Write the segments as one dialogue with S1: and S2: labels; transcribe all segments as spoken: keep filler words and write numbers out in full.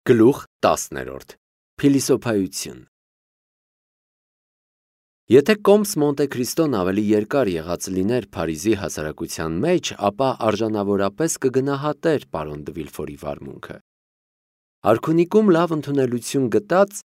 S1: Գլուխ տասներորդ. Փիլիսոփայություն։ Եթե Կոմս Մոնտե Քրիստոն ավելի երկար եղած լիներ Փարիզի հասարակության մեջ, ապա արժանավորապես կգնահատեր պարոն դը Վիլֆորի վարմունքը։ Արքունիքում լավ ընդունելություն գտած,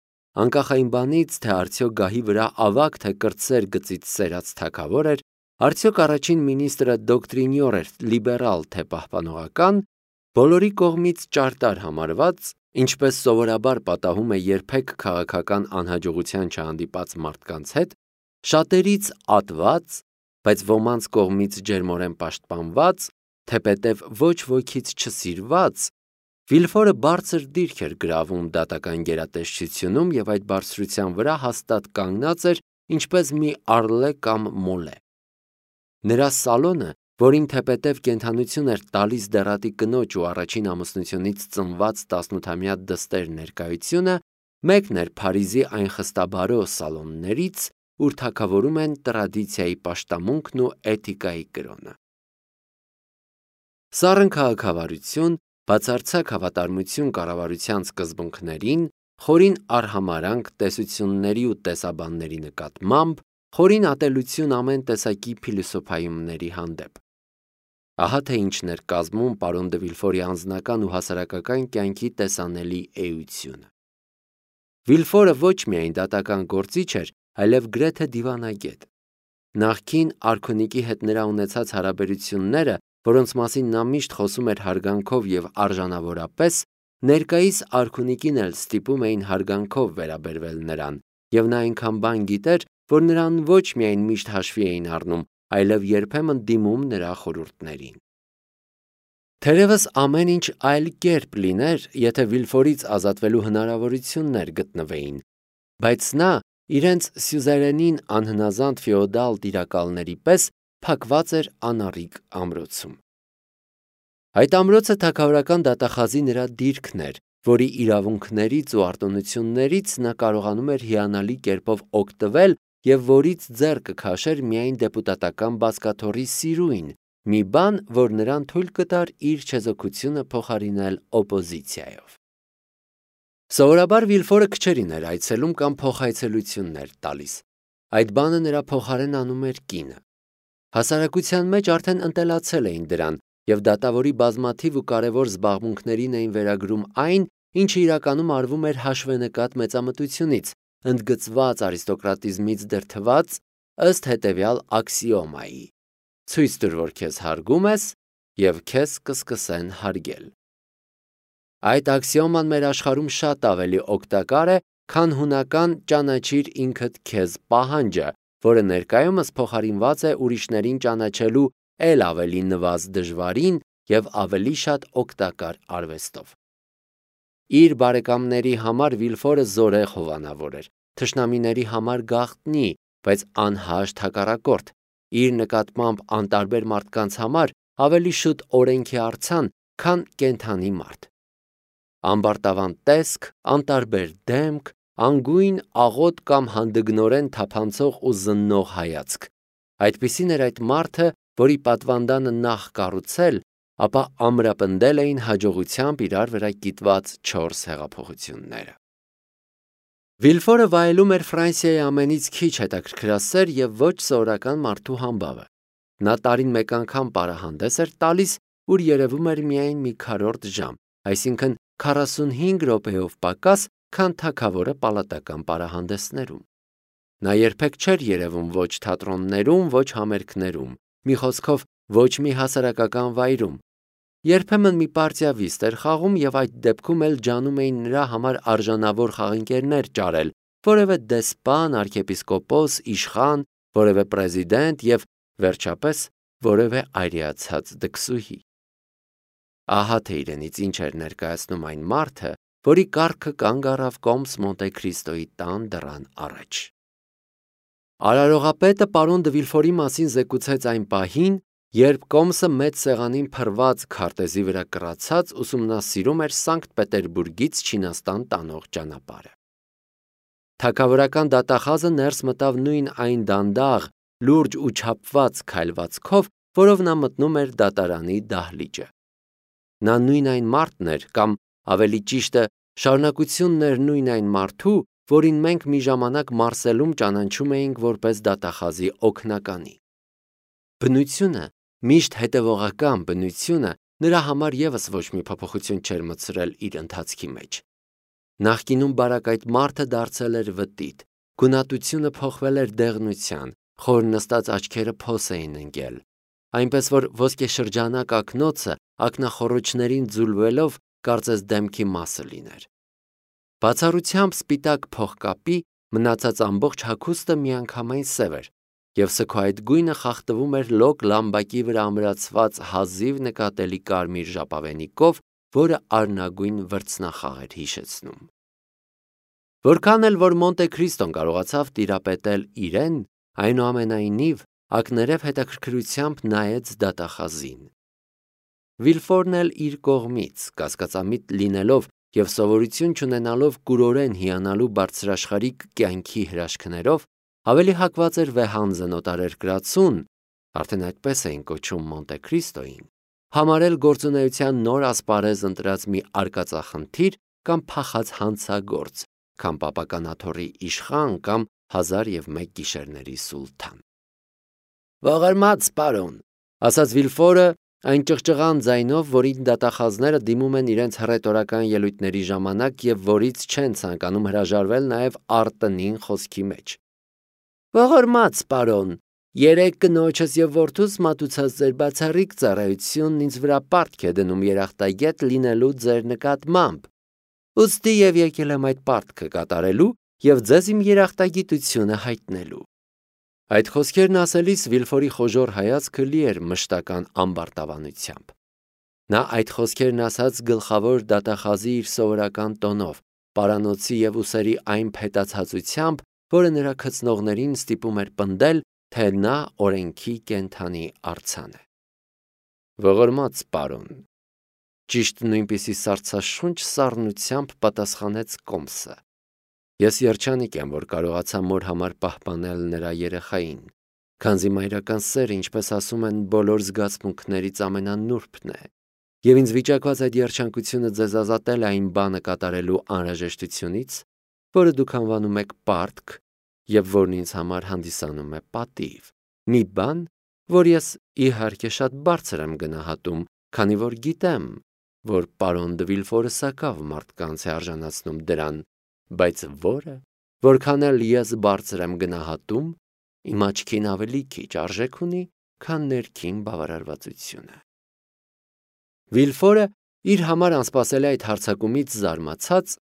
S1: անկախ այն բանից, թե արդյոք գահի վրա ավագ թե կրտսեր գծից սերած թագավոր էր, արդյոք առաջին մինիստրը դոկտրինյոր էր, լիբերալ թե պահպանողական, բոլորի կողմից ճարտար համարված, ինչպես սովորաբար պատահում է երբեք քաղաքական անհաջողության չհանդիպած մարդկանց հետ, շատերից ատված, բայց ոմանց կողմից ջերմորեն պաշտպանված, թեպետև ոչ ոքից չսիրված, Վիլֆորը բարձր դիրք էր գրավում դատական գերատեսչությունում և այդ բարձրության վրա հաստատ կանգնած էր, ինչպես մի առլե կամ մոլե։ Նրա սալոնը, որին թեպետև կենդանություն էր տալիս դեռատի կնոջ ու առաջին ամուսնությունից ծնված տասնութամյա դստեր ներկայությունը, մեկն էր Փարիզի այն խստաբարո սալոններից, ուր թագավորում են տրադիցիայի պաշտամունքն ու էթիկայի կրոնը։ Սառն քաղաքավարություն, բացարձակ հավատարմություն կառավարության սկզբունքներին, խորին արհամարհանք տեսությունների ու տեսաբանների նկատմամբ, խորին ատելություն ամեն տեսակի փիլիսոփայումների հանդեպ։ Ահա թե ինչն էր կազմում պարոն դը Վիլֆորի անձնական ու հասարակական կյանքի տեսանելի էությունը։ Վիլֆորը ոչ միայն դատական գործիչ էր, այլև գրեթե դիվանագետ։ Նախկին արքունիքի հետ նրա ունեցած հարաբերությունները, որոնց մասին նա միշտ խոսում էր հարգանքով և արժանավորապես, ներկայիս արքունիկին էլ ստիպում էին հարգանքով վերաբերվել նրան, և նա այնքան բան գիտեր, որ նրան ոչ միայն միշտ հաշվի էին առնում, այլև երբեմն դիմում նրա խորհուրդներին։ Թերևս ամեն ինչ այլ կերպ լիներ, եթե Վիլֆորից ազատվելու հնարավորություններ գտնվեին, բայց նա իրենց սյուզերենին անհնազանդ ֆեոդալ տիրակալների պես փակված էր անառիկ ամրոցում։ Այդ ամրոցը թագավորական դատախազի նրա դիրքն էր, որի իրավունքներից ու արտոնություններից նա կարողանում էր հիանալի կերպով օգտվել և որից ձեռքը քաշեր միայն դեպուտատական բազկաթոռի սիրույն, մի բան, որ նրան թույլ կտար իր չեզոքությունը փոխարինել օպոզիցիայով։ Սովորաբար Վիլֆորը քչերին էր այցելում կամ փոխայցելություններ տալիս։ Այդ բանը նրա փոխարեն անում էր կինը։ Հասարակության մեջ արդեն ընտելացել էին դրան, և դատավորի բազմաթիվ ու կարևոր զբաղմունքներին էին վերագրում այն, ինչը իրականում արվում էր հաշվենկատ մեծամտությունից, ընդգծված արիստոկրատիզմից դրդված, ըստ հետևյալ աքսիոմայի. ցույց տուր, որ քեզ հարգում ես, և քեզ կսկսեն հարգել։ Այդ աքսիոման մեր աշխարհում շատ ավելի օգտակար է, քան հունական ճանաչիր ինքդ քեզ պահանջը, որը ներկայումս փոխարինված է ուրիշներին ճանաչելու էլ ավելի նվազ դժվարին և ավելի շատ օգտակար արվեստով։ Իր բարեկամների համար Վիլֆորը զորեղ հովանավոր էր, թշնամիների համար գաղտնի, բայց անհաշտ հակառակորդ, իր նկատմամբ անտարբեր մարդկանց համար ավելի շուտ օրենքի արձան, քան կենդանի մարդ։ Ամբարտավան տեսք, անտարբեր դեմք, անգույն, աղոտ կամ հանդգնորեն թափանցող ու զննող հայացք։ Այդպիսին էր այդ մարդը, որի պատվանդանը նախ կառուցել, ապա ամրապնդել էին հաջողությամբ իրար վրա կիտված չորս հեղափոխությունները։ Վիլֆորը վայելում էր Ֆրանսիայի ամենից քիչ հետաքրքրասեր և ոչ սովորական մարդու համբավը։ Նա տարին մեկ անգամ պարահանդես էր տալիս, ուր երևում էր միայն մի քառորդ ժամ, այսինքն քառասունհինգ րոպեով պակաս, քան թագավորը պալատական պարահանդեսներում։ Նա երբեք չէր երևում ոչ թատրոններում, ոչ համերգներում, մի խոսքով ոչ մի հասարակական վայրում։ Երբեմն մի պարտիա վիստ էր խաղում և այդ դեպքում էլ ջանում էին նրա համար արժանավոր խաղընկերներ ճարել, որևէ դեսպան, արքեպիսկոպոս, իշխան, որևէ պրեզիդենտ և, վերջապես, որևէ այրիացած դքսուհի։ Ահա թե իրենից ինչ էր ներկայացնում այն մարդը, որի կառքը կանգ առավ Կոմս Մոնտե Քրիստոյի տան դռան առաջ։ Արարողապետը պարոն դը Վիլֆորի մասին զեկուցեց այն պահին, երբ Կոմսը մեծ սեղանին փռված քարտեզի վրա կռացած ուսումնասիրում էր Սանկտ Պետերբուրգից Չինաստան տանող ճանապարհը։ Թագավորական դատախազը ներս մտավ նույն այն դանդաղ, լուրջ ու չափված քայլվածքով, որով նա մտնում էր դատարանի դահլիճը։ Նա նույն այն մարդն էր, կամ ավելի ճիշտը շարունակությունն էր նույն այն մարդու, որին մենք մի ժամանակ Մարսելում ճանաչում էինք որպես դատախազի օգնականի։ Բնությունը, միշտ հետևողական բնությունը, նրա համար ևս ոչ մի փոփոխություն չէր մտցրել իր ընթացքի մեջ։ Նախկինում բարակայթ մարդը դարձել էր վտիտ, գունատությունը փոխվել էր դեղնության, խոր նստած աչքերը փոս էին ընկել, այնպես որ ոսկեշրջանակ ակնոցը ակնախոռոչներին ձուլվելով կարծես դեմքի մասը լիներ։ Բացառությամբ սպիտակ փողկապի մնացած ամբողջ հագուստը միանգամայն սև էր, և սգո այդ գույնը խախտվում էր լոկ լամբակի վրա ամրացված հազիվ նկատելի կարմիր ժապավենիքով, որը արնագույն վրձնախաղ էր հիշեցնում։ Որքան էլ որ Մոնտե Քրիստոն կարողացավ տիրապետել իրեն, այնուամենայնիվ ակներև հետաքրքրությամբ նայեց դատախազին։ Վիլֆորն էլ իր կողմից, կասկածամիտ լինելով և սովորություն չունենալով կուրորեն հիանալու բարձրաշխարհիկ կյանքի հրաշքներով, ավելի հակված էր վեհանձն օտարերկրացուն, արդեն այդպես էին կոչում Մոնտե Քրիստոյին, համարել գործունեության նոր ասպարեզ ընտրած մի արկածախնդիր կամ փախած հանցագործ, քան պապական աթոռի իշխան կամ հազար և մեկ գիշերների սուլթան։ «Ողորմած պարոն», ասաց Վիլֆորը այն ճղճղան ձայնով, որին դատախազները դիմում են իրենց հռետորական ելույթների ժամանակ և որից չեն ցանկանում հրաժարվել նաև արտտնին խոսքի մեջ։ «Ողորմած պարոն, երեկ կնոջս և որդուս մատուցած ձեր բացառիկ ծառայությունն ինձ վրա պարտք է դնում երախտագետ լինելու ձեր նկատմամբ, ուստի և եկել եմ այդ պարտքը կատարելու և ձեզ իմ երախտագիտությունը հայտնելու»։ Այդ խոսքերն ասելիս Վիլֆորի խոժոռ հայացքը լի էր մշտական ամբարտավանությամբ։ Նա այդ խոսքերն ասաց գլխավոր դատախազի իր սովորական տոնով, պարանոցի և ուսերի այն փետացածությամբ, որը նրա քծնողներին ստիպում էր պնդել, թե նա օրենքի կենդանի արձան է։ «Ողորմած պարոն», ճիշտ նույնպիսի սառցաշունչ սառնությամբ պատասխանեց Կոմսը, «ես երջանիկ եմ, որ կարողացա մոր համար պահպանել նրա երեխային, քանզի մայրական սերը, ինչպես ասում են, բոլոր զգացմունքներից ամենանուրբն է, և ինձ վիճակված այդ երջանկությունը ձեզ ազատել է այն բանը կատարելու անհրաժեշտությունից, որը դուք անվանում եք պարտք և որն ինձ համար հանդիսանում է պատիվ, մի բան, որ ես իհարկե շատ բարձր եմ գնահատում, քանի որ գիտեմ, որ պարոն դը Վիլֆորը սակավ մարդկանց է արժանացնում դրան, բայց որը, որքան էլ ես բարձր եմ գնահատում, իմ աչքին ավելի քիչ արժեք ունի, քան ներքին բավարարվածությունը։ Վիլֆորը իր համար անսպասելի այդ հարձակումից զարմացած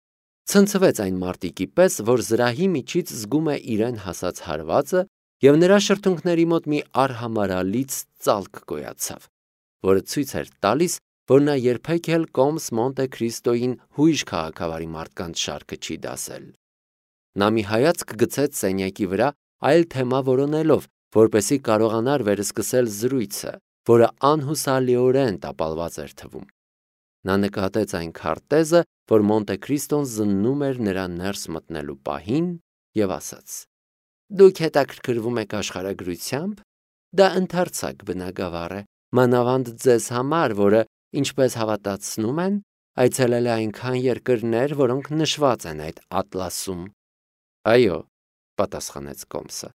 S1: ցնցվեց այն մարտիկի պես, որ զրահի միջից զգում է իրեն հասած հարվածը, և նրա շրթունքների մոտ մի արհամարհալից ծալք գոյացավ, որը ցույց էր տալիս, որ նա երբեք էլ Կոմս Մոնտե Քրիստոյին հույժ քաղաքավարի մարդկանց շարքը չի դասել։ Նա մի հայացք գցեց սենյակի վրա, այլ թեմա որոնելով, որպեսզի կարողանար վերսկսել զրույցը, որը անհուսալիորեն տապալված էր թվում։ Նա նկատեց այն քարտեզը, որ Մոնտե Քրիստոն զննում էր նրա ներս մտնելու պահին, և ասաց. «Դուք հետաքրքրվում եք աշխարհագրությամբ, դա ընդարձակ բնագավառ է, մանավանդ ձեզ համար, որը, ինչպես հավատացնում են, այցելել է այնքան երկրներ, որոնք նշված են այդ ատլասում»։ «Այո», պատասխանեց Կոմսը,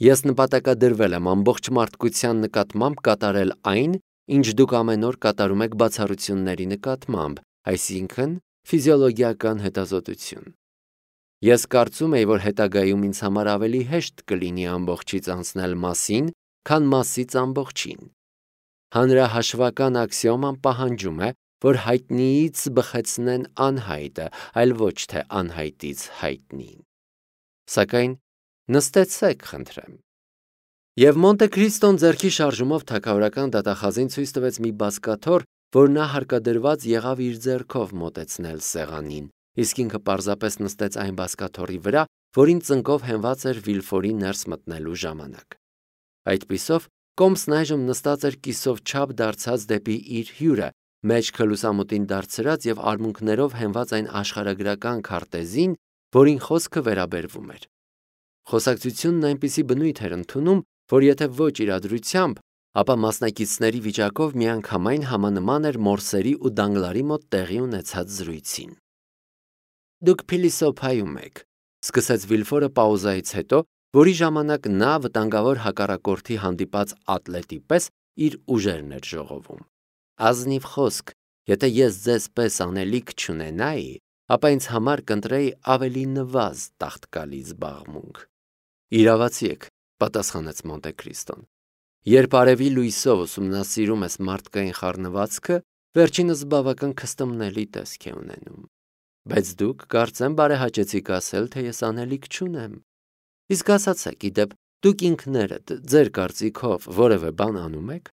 S1: «ես նպատակադրվել եմ ամբողջ մարդկության նկատմամբ կատարել այն, ինչ դուք ամեն օր կատարում եք բացառությունների նկատմամբ, այսինքն ֆիզիոլոգիական հետազոտություն։ Ես կարծում էի, որ հետագայում ինձ համար ավելի հեշտ կլինի ամբողջից անցնել մասին, քան մասից ամբողջին։ Հանրահաշվական աքսիոման պահանջում է, որ հայտնիից բխեցնեն անհայտը, այլ ոչ թե անհայտից հայտնին։ Սակայն նստեցեք, խնդրեմ»։ Եվ Մոնտե Քրիստոն ձեռքի շարժումով թագավորական դատախազին ցույց տվեց մի բազկաթոռ, որ նա հարկադրված եղավ իր ձեռքով մոտեցնել սեղանին, իսկ ինքը պարզապես նստեց այն բազկաթոռի վրա, որին ծնկով հենված էր Վիլֆորի ներս մտնելու ժամանակ։ Այդպիսով Կոմսն այժմ նստած էր կիսով չափ դարձած դեպի իր հյուրը, մեջքը լուսամուտին դարձրած և արմունկներով հենված այն աշխարհագրական քարտեզին, որին խոսքը վերաբերվում էր։ Խոսակցությունն այնպիսի բնույթ էր ընդունում, որ եթե ոչ իրադրությամբ, ապա մասնակիցների վիճակով միանգամայն համանման էր Մորսերի ու Դանգլարի մոտ տեղի ունեցած զրույցին։ Դուք փիլիսոփայում եք, սկսեց Վիլֆորը պաուզայից հետո, որի ժամանակ նա վտանգավոր հակառակորդի հանդիպած ատլետի պես իր ուժերն էր ժողովում։ Ազնիվ խոսք, եթե ես ձեզ պես անելիք չունենայի, ապա ինձ համար կընտրեի ավելի նվազ տաղտկալի զբաղմունք։ Իրավացի եք, պատասխանեց Մոնտե Քրիստոն։ Երբ արևի լույսով ուսումնասիրում ես մարդկային խառնվածքը, վերջինս բավական քստմնելի տեսք է ունենում։ Բայց դուք կարծեմ բարեհաճեցիք ասել, թե ես անելիք չունեմ։ Իսկ ասացեք, իդեպ, դուք ինքներդ ձեր կարծիքով որևէ բան անում եք։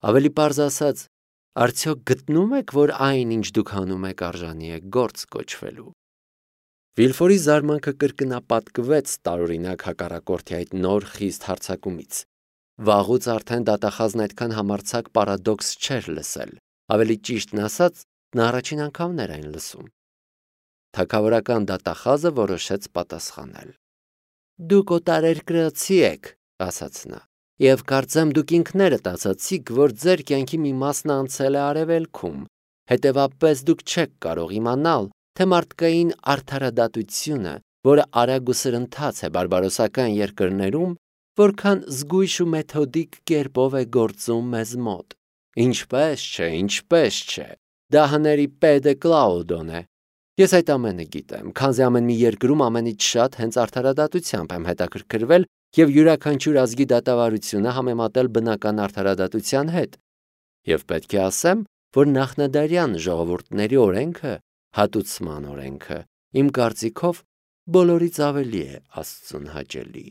S1: Ավելի պարզ ասած, արդյոք գտնում եք, որ այն, ինչ դուք անում եք, արժանի է գործ կոչվելու։ Վիլֆորի զարմանքը կրկնապատկվեց տարօրինակ հակառակորդի այդ նոր խիստ հարձակումից։ Վաղուց արդեն դատախազն այդքան համարձակ պարադոքս չէր լսել, ավելի ճիշտն ասած, նա առաջին անգամն էր այն լսում։ Թագավորական դատախազը որոշեց պատասխանել։ Դուք օտարերկրացի եք, ասաց նա, եւ կարծեմ դուք ինքներդ ասացիք, որ ձեր կյանքի մի մասն անցել է արևելքում, հետևաբար դուք չեք կարող իմանալ, թե մարդկային արդարադատությունը, որը արագ ու սրընթաց է բարբարոսական երկրներում, որքան զգույշ ու մեթոդիկ կերպով է գործում մեզ մոտ։ Ինչպես չէ, ինչպես չէ, դա հների Պեդե Կլաուդոն է։ Ես այդ ամենը գիտեմ, քանզի ամեն մի երկրում ամենից շատ հենց արդարադատությամբ եմ հետաքրքրվել եւ յուրաքանչյուր ազգի դատավարությունը համեմատել բնական արդարադատության հետ։ Եվ պետք է ասեմ, որ նախնադարյան ժողովուրդների օրենքը, հատուցման օրենքը, իմ կարծիքով բոլորից ավելի է Աստծուն հաճելի։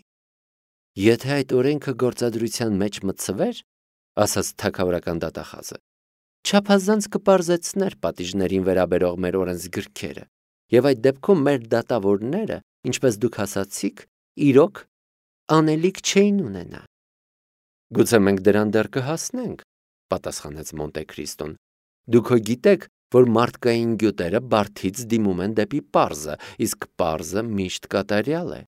S1: Եթե այդ օրենքը գործադրության մեջ մտցվեր, ասաց թագավորական դատախազը, չափազանց կպարզեցներ պատիժներին վերաբերող մեր օրենսգրքերը, եւ այդ դեպքում մեր դատավորները, ինչպես դուք ասացիք, իրոք անելիք չէին ունենա։ Գուցե մենք դրան դեռ կհասնենք, պատասխանեց Մոնտե Քրիստոն։ Դուք հո գիտեք, որ մարդկային գյուտերը բարդից դիմում են դեպի պարզը, իսկ պարզը միշտ կատարյալ է։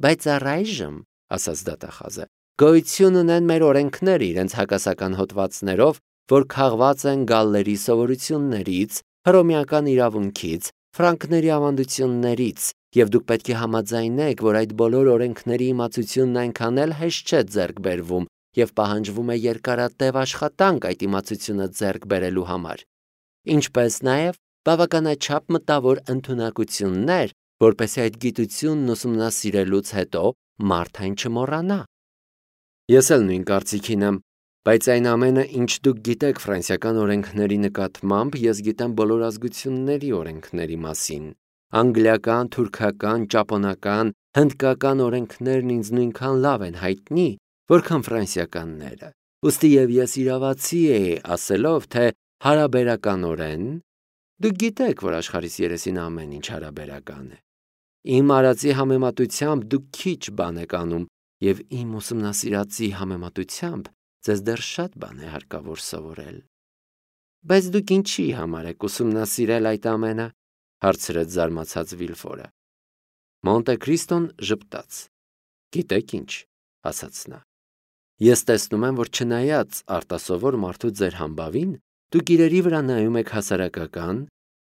S1: Բայց առայժմ, ասաց դատախազը, գոյություն ունեն մեր օրենքները իրենց հակասական հոդվածներով, որ քաղված են գալլերի սովորություններից, հռոմեական իրավունքից, ֆրանկների ավանդություններից, եւ դուք պետք է համաձայնեք, որ այդ բոլոր օրենքների իմացությունն այնքան էլ հեշտ չէ ձեռք բերվում եւ պահանջվում է երկարատև աշխատանք այդ իմացությունը ձեռք բերելու համար, ինչպես նաեւ բավականաչափ մտավոր ընդունակություններ, որպեսզի այդ գիտությունն ուսումնասիրելուց հետո մարդ այն չմոռանա։ Ես էլ նույն կարծիքին եմ, բայց այն ամենը, ինչ դուք գիտեք ֆրանսիական օրենքների նկատմամբ, ես գիտեմ բոլոր ազգությունների օրենքների մասին։ Անգլիական, թուրքական, ճապոնական, հնդկական օրենքներն ինձ նույնքան լավ են հայտնի, որքան ֆրանսիականները։ Ուստի եւ ես իրավացի էի ասելով, թե հարաբերականորեն դուք գիտեք, որ աշխարհիս երեսին ամեն ինչ հարաբերական է։ Իմ արածի համեմատությամբ դուք քիչ բան եք անում, եւ իմ ուսումնասիրածի համեմատությամբ ձեզ դեռ շատ բան է հարկավոր սովորել։ Բայց դուք ինչի համար եք ուսումնասիրել այդ ամենը, հարցրեց զարմացած Վիլֆորը։ Մոնտե Քրիստոն ժպտաց։ Գիտեք ինչ, ասաց նա։ Ես տեսնում եմ, որ չնայած արտասովոր մարդու ձեր համբավին, դուք իրերի վրա նայում եք հասարակական,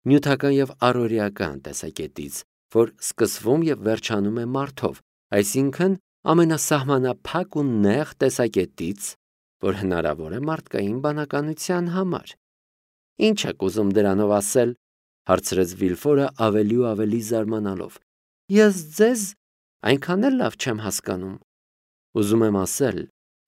S1: նյութական եւ առօրեական տեսակետից, որ սկսվում եւ վերջանում է մարդով, այսինքն ամենասահմանափակ ու նեղ տեսակետից, որ հնարավոր է մարդկային բանականության համար։ Ինչ եք ուզում դրանով ասել, հարցրեց Վիլֆորը ավելի ու ավելի զարմանալով։ Ես ձեզ այնքան էլ լավ չեմ հասկանում։ Ուզում եմ ասել,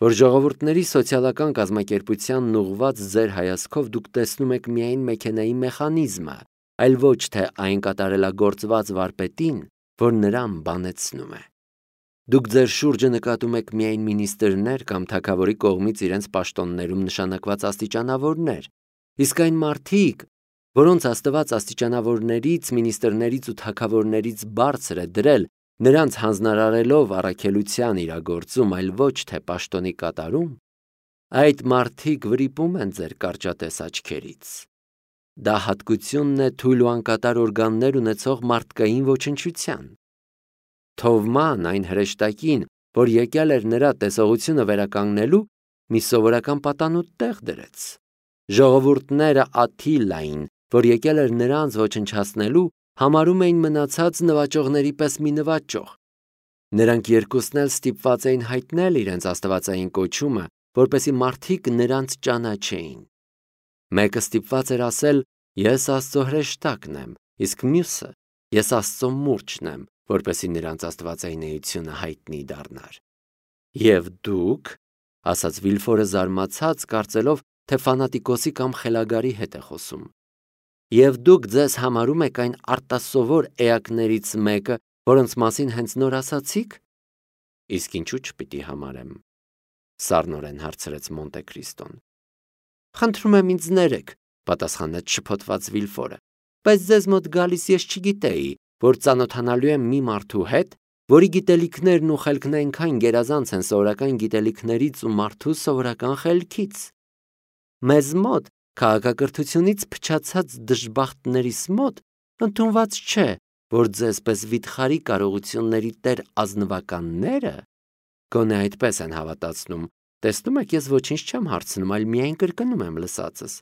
S1: որ ժողովուրդների սոցիալական կազմակերպությանն ուղղված ձեր հայացքով դուք տեսնում եք միայն մեքենայի մեխանիզմը, այլ ոչ թե այն կատարելագործված վարպետին, որ նրան բանեցնում է։ Դուք ձեր շուրջը նկատում եք միայն մինիստրներ կամ թագավորի կողմից իրենց պաշտոններում նշանակված աստիճանավորներ, իսկ այն մարդիկ, որոնց Աստված աստիճանավորներից, մինիստրներից ու թագավորներից բարձր է դրել, նրանց հանձնարարելով առաքելության իրագործում, այլ ոչ թե պաշտոնի կատարում, այդ մարդիկ վրիպում են ձեր կարճատես աչքերից։ Դա հատկությունն է թույլ ու անկատար օրգաններ ունեցող մարդկային ոչնչության։ Թովման այն հրեշտակին, որ եկել էր նրա տեսողությունը վերականգնելու, մի սովորական պատանուտ տեղ դրեց։ Ժողովուրդները Աթիլային, որ եկել էր նրանց ոչնչացնելու, համարում էին մնացած նվաճողների պես մի նվաճող։ Նրանք երկուսն էլ ստիպված էին հայտնել իրենց աստվածային կոչումը, որպեսզի մարդիկ նրանց ճանաչեին։ Մեկը ստիպված էր ասել. «Ես Աստծո հրեշտակն եմ», իսկ մյուսը. «Ես Աստծո մուրճն եմ», որպեսզի նրանց աստվածային էությունը հայտնի դառնար։ «Եվ դուք», ասաց Վիլֆորը զարմացած, կարծելով, թե ֆանատիկոսի կամ խելագարի հետ է խոսում, «Եվ դուք ձեզ համարում եք այն արտասովոր էակներից մեկը, որոնց մասին հենց նոր ասացիք»։ «Իսկ ինչու՞ չպիտի համարեմ», սառնորեն հարցրեց Մոնտե Քրիստոն։ «Խնդրում եմ ինձ ներեք», պատասխանեց շփոթված Վիլֆորը, «բայց ձեզ մոտ գալիս ես չգիտեի, որ ծանոթանալու եմ մի մարդու հետ, որի գիտելիքներն ու խելքն այնքան գերազանց են սովորական գիտելիքներից ու մարդու սովորական խելքից։ Մեզ մոտ, քաղաքակրթությունից փչացած դժբախտներիս մոտ, ընդունված չէ, որ ձեզպես վիթխարի կարողությունների տեր ազնվականները գոնե այդպես են հավատացնում, տեսնում եք, ես ոչինչ չեմ հարցնում, այլ միայն կրկնում եմ լսածս։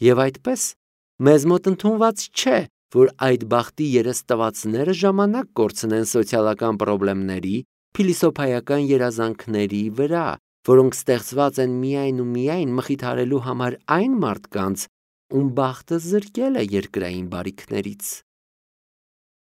S1: Եվ այդպես, մեզ մոտ ընդունված չէ, որ այդ բախտի երեստվածները ժամանակ կորցնեն սոցիալական պրոբլեմների, փիլիսոփայական երազանքների վրա, որոնք ստեղծված են միայն ու միայն մխիթարելու համար այն մարդկանց, ում բախտը զրկել է երկրային բարիքներից։